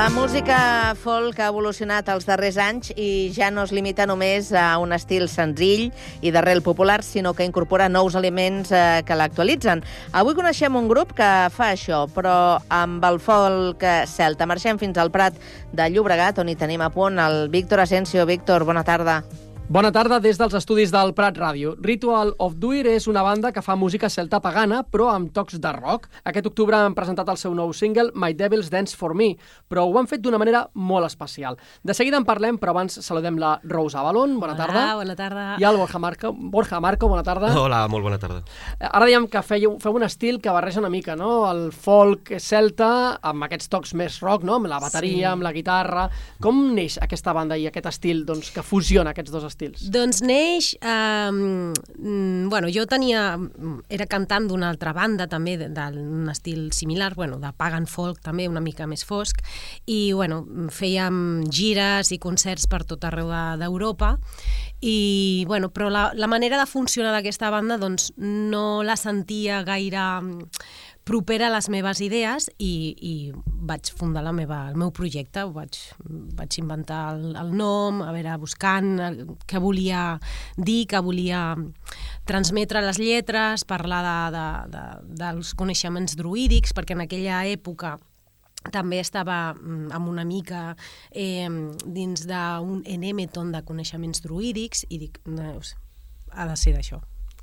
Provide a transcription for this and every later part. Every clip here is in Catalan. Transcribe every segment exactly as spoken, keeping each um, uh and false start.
La música folk ha evolucionat els darrers anys i ja no es limita només a un estil senzill i d'arrel popular, sinó que incorpora nous elements eh, que l'actualitzen. Avui coneixem un grup que fa això, però amb el folk celta. Marxem fins al Prat de Llobregat, on hi tenim a punt el Víctor Asensio. Víctor, bona tarda. Bona tarda des dels estudis del Prat Ràdio. Ritual of Duir és una banda que fa música celta pagana, però amb tocs de rock. Aquest octubre han presentat el seu nou single, My Devil's Dance for Me, però ho han fet d'una manera molt especial. De seguida en parlem, però abans saludem la Rosa Avalon, bona Hola, tarda. bona tarda. I el Borja Marco, Borja Marco, bona tarda. Hola, molt bona tarda. Ara dèiem que feu, feu un estil que barreja una mica, no? El folk celta amb aquests tocs més rock, no? Amb la bateria, sí. Amb la guitarra. Com neix aquesta banda i aquest estil doncs, que fusiona aquests dos estils? Doncs neix... Eh, bueno, jo tenia... Era cantant d'una altra banda, també, d'un estil similar, bueno, de pagan folk, també, una mica més fosc, i, bueno, fèiem gires i concerts per tot arreu d'Europa, i, bueno, però la, la manera de funcionar d'aquesta banda, doncs, no la sentia gaire propera a les meves idees i, i vaig fundar la meva, el meu projecte, vaig, vaig inventar el, el nom, a veure, buscant el, què volia dir, què volia transmetre les lletres, parlar de, de, de, dels coneixements druídics, perquè en aquella època també estava amb una mica eh, dins d'un enèmeton de coneixements druídics i dic, no, ha de ser d'això.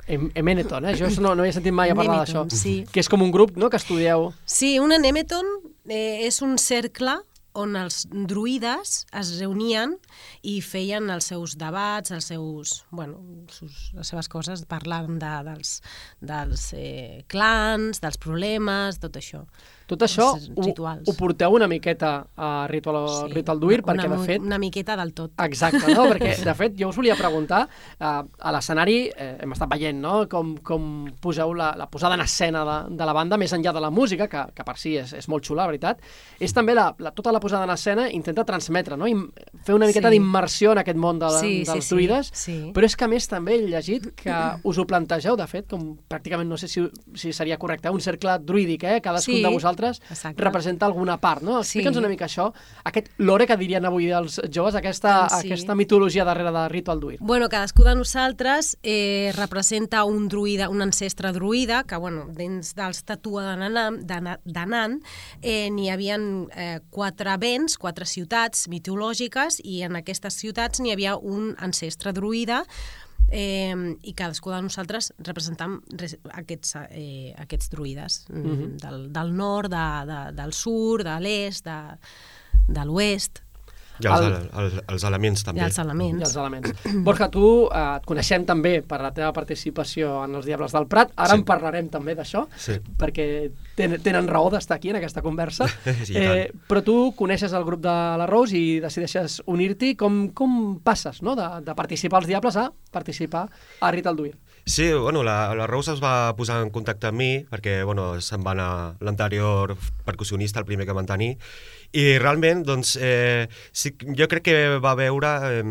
Emeneton, eh? Jo no, no he sentit mai a parlar d'això. Sí. Que és com un grup, no?, que estudieu. Sí, un enemeton eh, és un cercle on els druides es reunien i feien els seus debats, els seus, bueno, sus, les seves coses, parlant de, dels, dels eh, clans, dels problemes, tot això. Tot això ho, ho porteu una miqueta a Ritual, sí, Ritual Duir, una, perquè de fet... Una miqueta del tot. Exacte, no? Perquè de fet jo us volia preguntar, eh, a l'escenari eh, hem estat veient, no?, com, com poseu la, la posada en escena de, de la banda, més enllà de la música, que, que per si és, és molt xula, la veritat, és també la, la, tota la posada en escena intenta transmetre, no?, I fer una miqueta sí. d'immersió en aquest món de, sí, dels sí, druides, sí, sí. Però és que a més també he llegit que us ho plantegeu, de fet, com pràcticament, no sé si, si seria correcte, un cercle druídic, eh? Cadascun sí. de vosaltres Exacte. Representa alguna part, no? Explica'ns sí. una mica això, aquest lore que dirien avui els joves, aquesta, sí. aquesta mitologia darrere de Ritual Duir. Bueno, cadascú de nosaltres eh, representa un druida, un ancestre druida, que, bueno, dins dels Tatua de Nan, de Nan eh, n'hi havia eh, quatre vents, quatre ciutats mitològiques, i en aquestes ciutats n'hi havia un ancestre druida, Eh, i cadascú de nosaltres representam aquests, eh, aquests druides mm-hmm. del, del nord, de, de, del sud, de l'est, de, de l'oest. I els, el, el, els elements també. I els elements. I els elements. Borja, tu eh, et coneixem també per la teva participació en els Diables del Prat. Ara sí. en parlarem també d'això, sí. perquè ten, tenen raó d'estar aquí en aquesta conversa. Sí, eh, però tu coneixes el grup de la Rose i decideixes unir-t'hi. Com, com passes, no?, de, de participar als Diables a participar a Ritual Duir? Sí, bueno, la, la Rose es va posar en contacte amb mi perquè, bueno, se'n va anar l'anterior percussionista, el primer que van tenir, i realment, doncs, eh, sí, jo crec que va veure... Eh,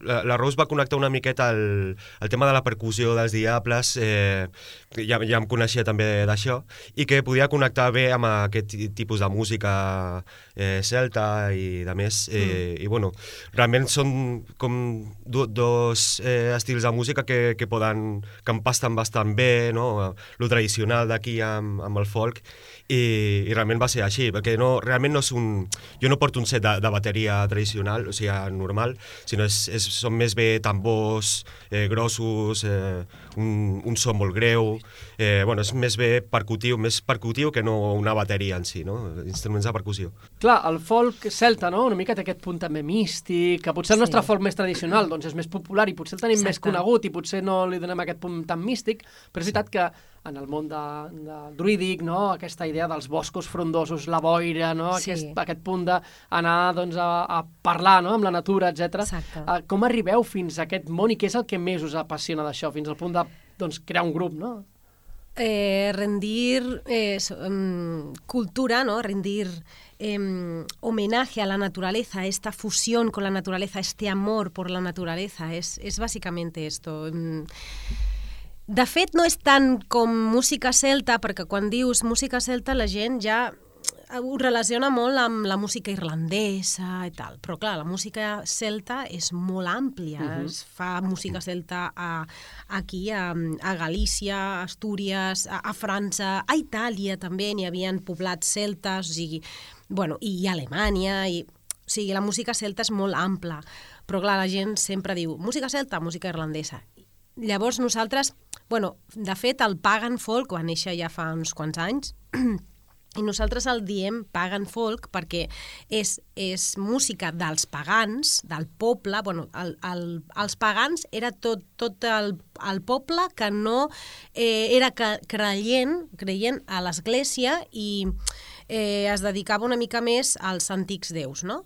la, la Rose va connectar una miqueta el, el tema de la percussió dels Diables, eh, ja, ja em coneixia també d'això, i que podia connectar bé amb aquest tipus de música eh, celta i de més. Eh, mm. I, bueno, realment són com do, dos eh, estils de música que, que poden... que empasten bastant bé, no?, lo tradicional d'aquí amb, amb el folk, i, i realment va ser així, perquè no, realment no és un... Jo no porto un set de, de bateria tradicional, o sigui, normal, sinó és, és, són més bé tambors eh, grossos, eh, un, un so molt greu, eh, bueno, és més bé percutiu, més percutiu que no una bateria en si, no?, instruments de percussió. Clar, el folk celta, no?, una mica té aquest punt també místic, que potser el nostre sí. folk més tradicional doncs és més popular i potser el tenim Exacte. Més conegut i potser no li donem aquest punt tan místic, però és veritat que en el món de, de druídic, no?, aquesta idea dels boscos frondosos, la boira, no?, sí. aquest, aquest punt d'anar doncs, a, a parlar, no?, amb la natura, etcètera. Uh, com arribeu fins a aquest món i què és el que més us apassiona d'això, fins al punt de doncs, crear un grup, no? Eh, rendir eh, um, cultura, ¿no?, rendir eh, homenaje a la naturaleza, esta fusión con la naturaleza, este amor por la naturaleza, es, es básicamente esto. Um, De fet, no és tant com música celta, perquè quan dius música celta la gent ja ho relaciona molt amb la música irlandesa i tal, però clar, la música celta és molt àmplia, uh-huh. es fa música celta a, aquí, a, a Galícia, a Astúries, a, a França, a Itàlia també n'hi havia poblats celtes, o sigui, bueno, i a Alemanya, i, o sigui, la música celta és molt ampla, però clar, la gent sempre diu música celta, música irlandesa. Llavors nosaltres, bueno, de fet el pagan folk va néixer ja fa uns quants anys, i nosaltres el diem pagan folk perquè és, és música dels pagans, del poble, bueno, el, el, els pagans era tot, tot el, el poble que no eh, era creient, creient a l'església i eh, es dedicava una mica més als antics déus, no?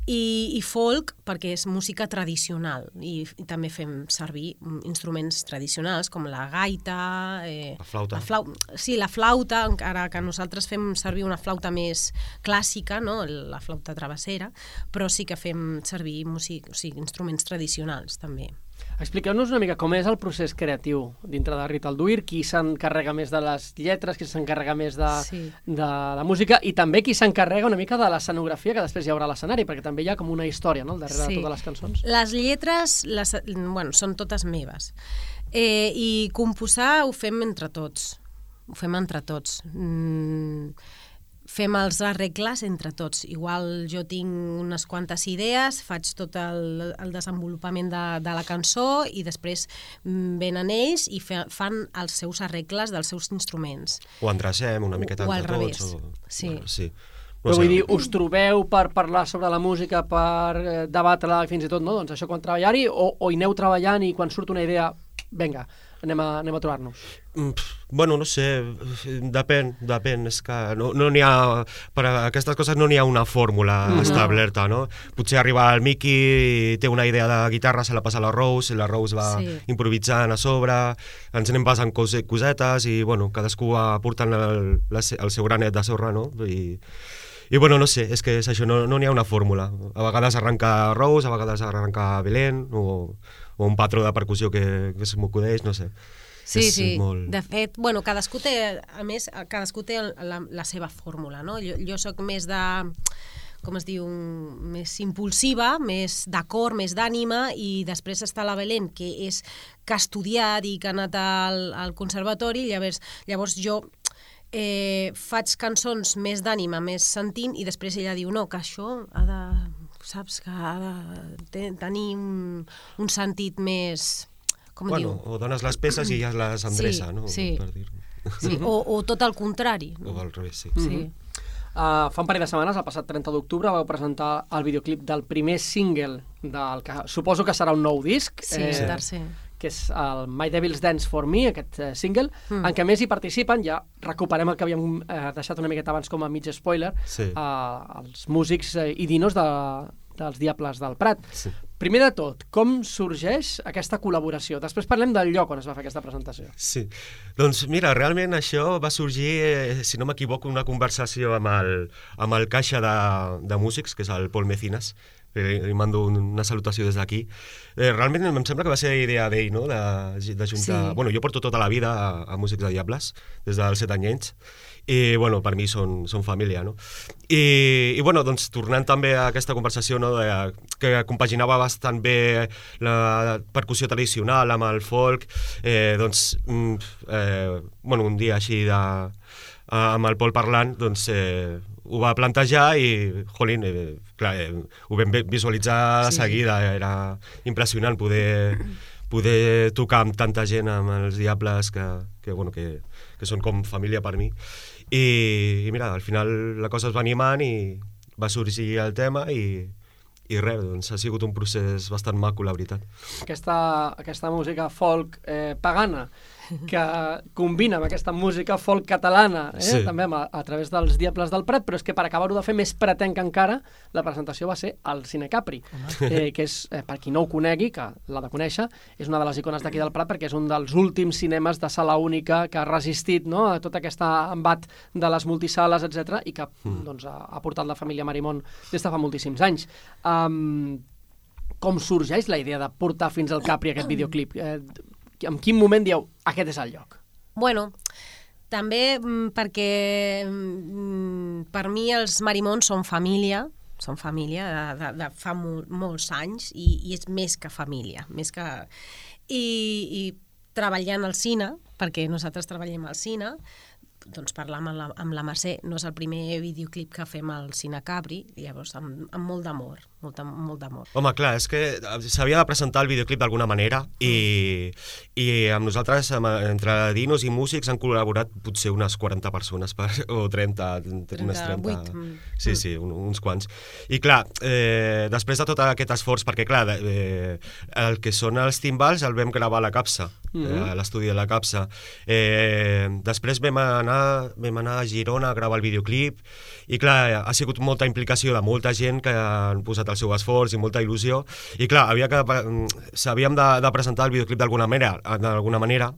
I, i folk perquè és música tradicional i, i també fem servir instruments tradicionals com la gaita, eh, la flauta. La flau... Sí, la flauta, encara que nosaltres fem servir una flauta més clàssica, no? La flauta travessera, però sí que fem servir músic... o sigui, instruments tradicionals també. Expliqueu-nos una mica com és el procés creatiu dintre de Rita Alduir, qui s'encarrega més de les lletres, qui s'encarrega més de, sí. de la música i també qui s'encarrega una mica de l'escenografia que després hi haurà a l'escenari, perquè també hi ha com una història, no?, darrere sí. de totes les cançons. Les lletres les, bueno, són totes meves eh, i composar ho fem entre tots, ho fem entre tots. Mm, fem els arregles entre tots. Igual jo tinc unes quantes idees, faig tot el, el desenvolupament de, de la cançó i després venen ells i fe, fan els seus arregles dels seus instruments. O endrecem una miqueta o, o al entre revés. tots. O... Sí. Bueno, sí. No Però sé. Vull dir, us trobeu per parlar sobre la música, per eh, debatre-la i fins i tot, no? Doncs això quan treballar-hi, o, o hi aneu treballant i quan surt una idea, vinga, anem a, anem a trobar-nos? Mm, bueno, no sé, depèn, depèn, és que no no n'hi ha, per a aquestes coses no n'hi ha una fórmula mm-hmm. establerta, no? Potser arriba el Miki i té una idea de guitarra, se la passa a la Rose, i la Rose va sí. improvisant a sobre, ens anem passant cos cosetes i, bueno, cadascú va portant el, el seu granet de sorra, no? I, i bueno, no sé, és que és això, no n'hi no ha una fórmula. A vegades arranca Rose, a vegades arranca Belén, o, o un patró de percussió que, que se m'acudeix, no sé. Sí, és sí, molt... de fet, bueno, cadascú té, a més, cadascú té la, la seva fórmula, no? Jo, jo soc més de, com es diu, més impulsiva, més d'acord, més d'ànima, i després està la Belén, que és que ha estudiat i que ha anat al, al conservatori, llavors, llavors jo eh, faig cançons més d'ànima, més sentint, i després ella diu, no, que això ha de, saps, que ha de tenir un, un sentit més... Com bueno, diu? O dones les peces i ja les endreça, sí, no? Sí, per dir. Sí, o, o tot el contrari. No? O al revés, sí. Sí. Mm-hmm. Uh, fa un parell de setmanes, el passat trenta d'octubre, vau presentar el videoclip del primer single del que suposo que serà un nou disc. Sí, eh, tercer. Que és el My Devil's Dance for Me, aquest eh, single, mm. en què més hi participen, ja recuperem el que havíem eh, deixat una miqueta abans com a mig spoiler, sí. eh, els músics eh, i dinos de, dels Diables del Prat. Sí. Primer de tot, com sorgeix aquesta col·laboració? Després parlem del lloc on es va fer aquesta presentació. Sí, doncs mira, realment això va sorgir, eh, si no m'equivoco, una conversació amb el, amb el caixa de, de músics, que és el Pol Mecinas, li mando una salutació des d'aquí. Eh, realment em sembla que va ser idea d'ell, no?, de, de juntar... Sí. Bueno, jo porto tota la vida a, a Músics de Diables, des dels set anyets, i, bueno, per mi són, són família, no? I, i, bueno, doncs, tornant també a aquesta conversació, no?, de, que compaginava bastant bé la percussió tradicional amb el folk, eh, doncs, eh, bueno, un dia així de... amb el Pol parlant, doncs, eh, ho va plantejar i, jolín, eh, clar, eh, ho vam visualitzar de sí. seguida, era impressionant poder, poder tocar amb tanta gent, amb els Diables, que, que, bueno, que, que són com família per mi. I, i mira, al final la cosa es va animant i va sorgir el tema i, i res, doncs ha sigut un procés bastant maco, la veritat. Aquesta, aquesta música folk eh, pagana, que combina amb aquesta música folk catalana, eh? Sí. També a, a través dels Diables del Prat, però és que per acabar-ho de fer més pretenc encara, la presentació va ser al Cine Capri, eh, que és, eh, per qui no ho conegui, que l'ha de conèixer, és una de les icones d'aquí del Prat perquè és un dels últims cinemes de sala única que ha resistit, no?, a tot aquest embat de les multisales, etcètera, i que mm. doncs, ha, ha portat la família Marimon des de fa moltíssims anys. Um, com sorgeix la idea de portar fins al Capri aquest videoclip? Eh, en quin moment dieu, aquest és el lloc? Bueno, També mm, perquè mm, per mi els Marimons són família, són família de, de, de fa mol, molts anys i, i és més que família, més que... I, i treballant al cine, perquè nosaltres treballem al cine, doncs parlar amb la, amb la Mercè, no és el primer videoclip que fem al Cine Capri, llavors amb, amb molt d'amor, molt, molt d'amor. Home, clar, és que s'havia de presentar el videoclip d'alguna manera i, i amb nosaltres, amb, entre dinos i músics, han col·laborat potser unes quaranta persones, per, o trenta, unes trenta... Sí, sí, un, uns quants. I clar, eh, després de tot aquest esforç, perquè clar, eh, el que són els timbals el vam gravar a la Capsa, mm-hmm. eh, a l'estudi de la Capsa. Eh, després vam anar vam anar a Girona a gravar el videoclip i clar, ha sigut molta implicació de molta gent que han posat el seu esforç i molta il·lusió i clar, havia que, s'havíem de, de presentar el videoclip d'alguna manera, d'alguna manera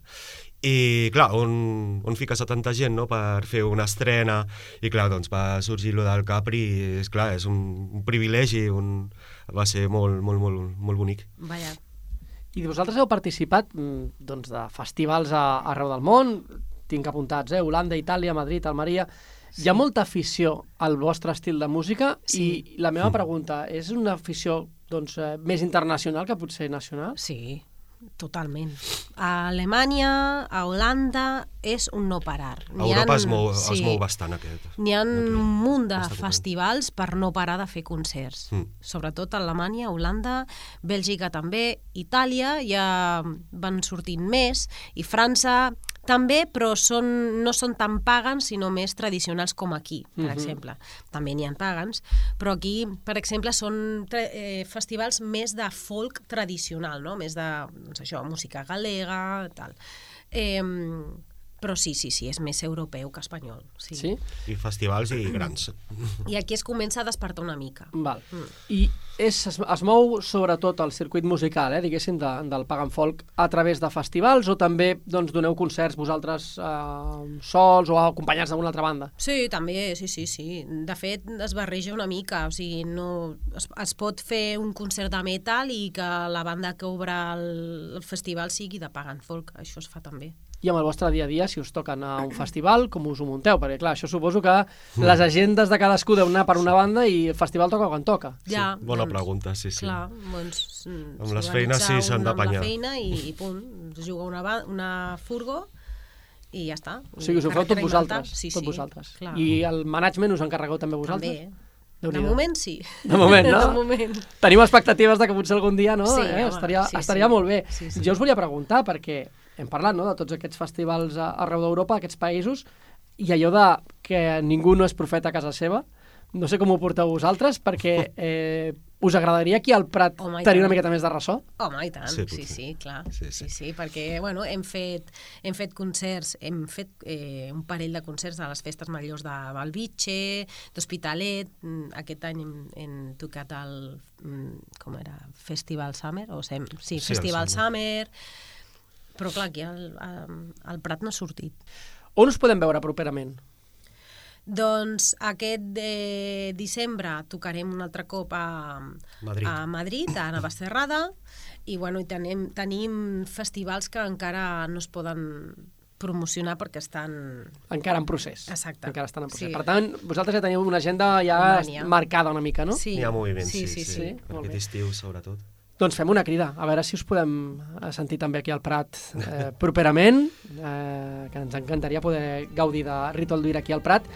i clar, on, on fiques a tanta gent, no?, per fer una estrena i clar, doncs va sorgir lo del Capri i és clar, és un, un privilegi, un, va ser molt, molt, molt, molt bonic. Vaja. I vosaltres heu participat doncs, de festivals a, arreu del món, tinc apuntats, eh? Holanda, Itàlia, Madrid, Almeria... Sí. Hi ha molta afició al vostre estil de música sí. I la meva pregunta, és una afició doncs, eh, més internacional que potser nacional? Sí, totalment. A Alemanya, a Holanda, és un no parar. A Europa ha, es, mou, sí, es mou bastant aquest. N'hi ha un munt de festivals per no parar de fer concerts. Mm. Sobretot a Alemanya, Holanda, Bèlgica també, Itàlia ja van sortint més, i França també, però són, no són tan pagans, sinó més tradicionals com aquí, per mm-hmm. exemple. També n'hi ha pagans, però aquí, per exemple, són eh, festivals més de folk tradicional, no? Més de, doncs això, música galega, tal. Eh, però sí, sí, sí, és més europeu que espanyol. Sí. Sí? I festivals i grans. I aquí es comença a despertar una mica. Val. Mm. I és, es, es mou sobretot el circuit musical, eh, diguéssim, de, del Pagan Folk a través de festivals o també doncs, doneu concerts vosaltres eh, sols o acompanyats d'una altra banda? Sí, també, sí, sí, sí. De fet, es barreja una mica, o sigui, no, es, es pot fer un concert de metal i que la banda que obre el, el festival sigui de Pagan Folk, això es fa també. I amb el vostre dia a dia, si us toquen a un festival, com us ho munteu? Perquè, clar, això suposo que les agendes de cadascú deuen anar per una banda i el festival toca quan toca. Ja, sí, bona doncs, pregunta, sí, sí. Clar, doncs... Amb les feines sí s'han d'apanyar. Amb la feina i, i punt, es juga una, una furgo i ja està. O sigui, us ho feu tot vosaltres. Sí, tot sí, vosaltres. Clar. I el management us encarregueu també vosaltres? També. De moment sí. De moment, no? De moment. Tenim expectatives de que potser algun dia, no? Sí, eh? home, estaria, sí, estaria sí. molt bé. Sí, sí. Jo us volia preguntar, perquè hem parlat, no?, de tots aquests festivals arreu d'Europa, aquests països, i allò de que ningú no és profeta a casa seva, no sé com ho porteu vosaltres, perquè eh, us agradaria aquí al Prat Home, tenir una miqueta més de ressò? Home, i tant, sí, sí, sí, sí, clar. Sí, sí. Sí, sí, perquè bueno, hem, fet, hem fet concerts, hem fet eh, un parell de concerts a les festes majors de Balvitge, d'Hospitalet, aquest any hem, hem tocat el, com era, Festival Summer, o sem, sí, sí, Festival Summer, però clar, aquí al, al Prat no ha sortit. On us podem veure properament? Doncs aquest de desembre tocarem un altre cop a Madrid, a, Madrid, a Navacerrada, i bueno, i tenim, tenim festivals que encara no es poden promocionar perquè estan... Encara en procés. Exacte. Encara estan en procés. Sí. Per tant, vosaltres ja teniu una agenda ja marcada una mica, no? Sí. Hi ha moviment, sí, sí, sí, sí. sí. Per aquest estiu, sobretot. Doncs fem una crida, a veure si us podem sentir també aquí al Prat eh, properament, eh, que ens encantaria poder gaudir de Ritual d'Uir aquí al Prat.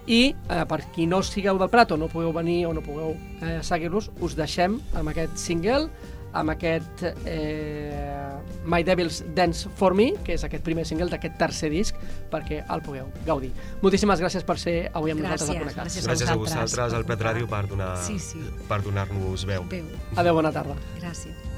I eh, per qui no sigueu del Prat o no pugueu venir o no pugueu eh, seguir-los, us deixem amb aquest single, amb aquest eh, My Devil's Dance For Me, que és aquest primer single d'aquest tercer disc, perquè el pugueu gaudir. Moltíssimes gràcies per ser avui amb gràcies, nosaltres a Connectats. Gràcies, gràcies a vosaltres, al Prat Ràdio, per donar, sí, sí. per donar-nos veu. veu. Adéu, bona tarda. Gràcies.